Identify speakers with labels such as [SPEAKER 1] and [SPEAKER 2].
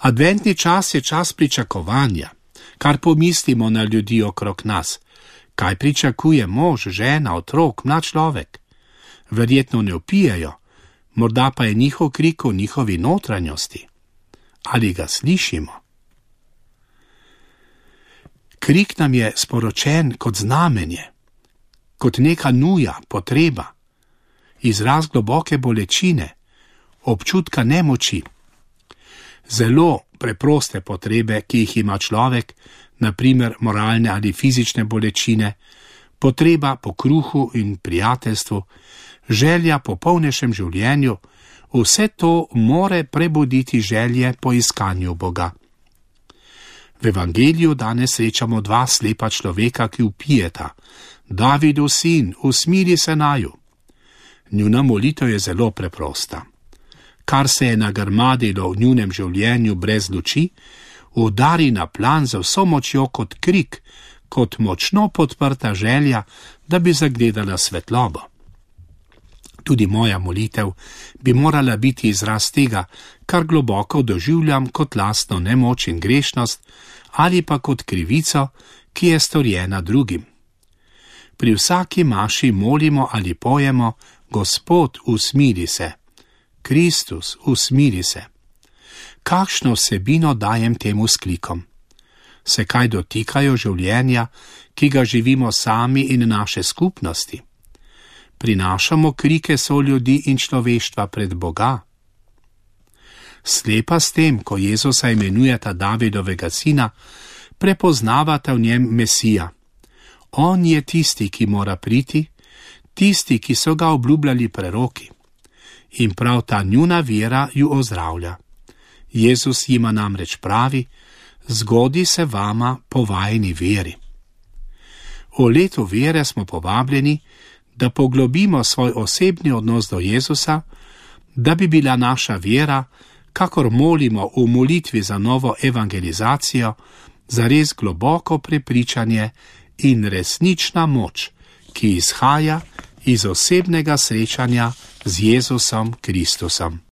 [SPEAKER 1] Adventni čas je čas pričakovanja, kar pomislimo na ljudi okrog nas. Kaj pričakuje mož, žena, otrok, mlad človek? Verjetno ne vpijejo, morda pa je njihov krik v njihovi notranjosti. Ali ga slišimo? Krik nam je sporočen kot znamenje, kot neka nuja, potreba, izraz globoke bolečine, občutka nemoči. Zelo preproste potrebe, ki jih ima človek, na primer moralne ali fizične bolečine, potreba po kruhu in prijateljstvu, želja po polnejšem življenju, vse to more prebuditi želje po iskanju Boga. V evangeliju danes srečamo dva slepa človeka, ki vpijeta: Davidov sin, usmili se naju. Njuna molitev je zelo preprosta. Kar se je nagrmadilo v njunem življenju brez luči, udari na plan z vso močjo kot krik, kot močno podprta želja, da bi zagledala svetlobo. Tudi moja molitev bi morala biti izraz tega, kar globoko doživljam kot lastno nemoč in grešnost ali pa kot krivico, ki je storjena drugim. Pri vsaki maši molimo ali pojemo: Gospod, usmili se. Kristus, usmili se. Kakšno vsebino dajem temu sklikom? Se kaj dotikajo življenja, ki ga živimo sami in naše skupnosti? Prinašamo krike soljudi in človeštva pred Boga? Slepa s tem, ko Jezusa imenujeta Davidovega sina, prepoznavata v njem Mesija. On je tisti, ki mora priti, tisti, ki so ga obljubljali preroki. In prav ta njuna vera ju ozdravlja. Jezus jima namreč pravi: zgodi se vama po vajini veri. V letu vere smo povabljeni, da poglobimo svoj osebni odnos do Jezusa, da bi bila naša vera, kakor molimo v molitvi za novo evangelizacijo, zares globoko prepričanje in resnična moč, ki izhaja iz osebnega srečanja z Jezusom Kristusom.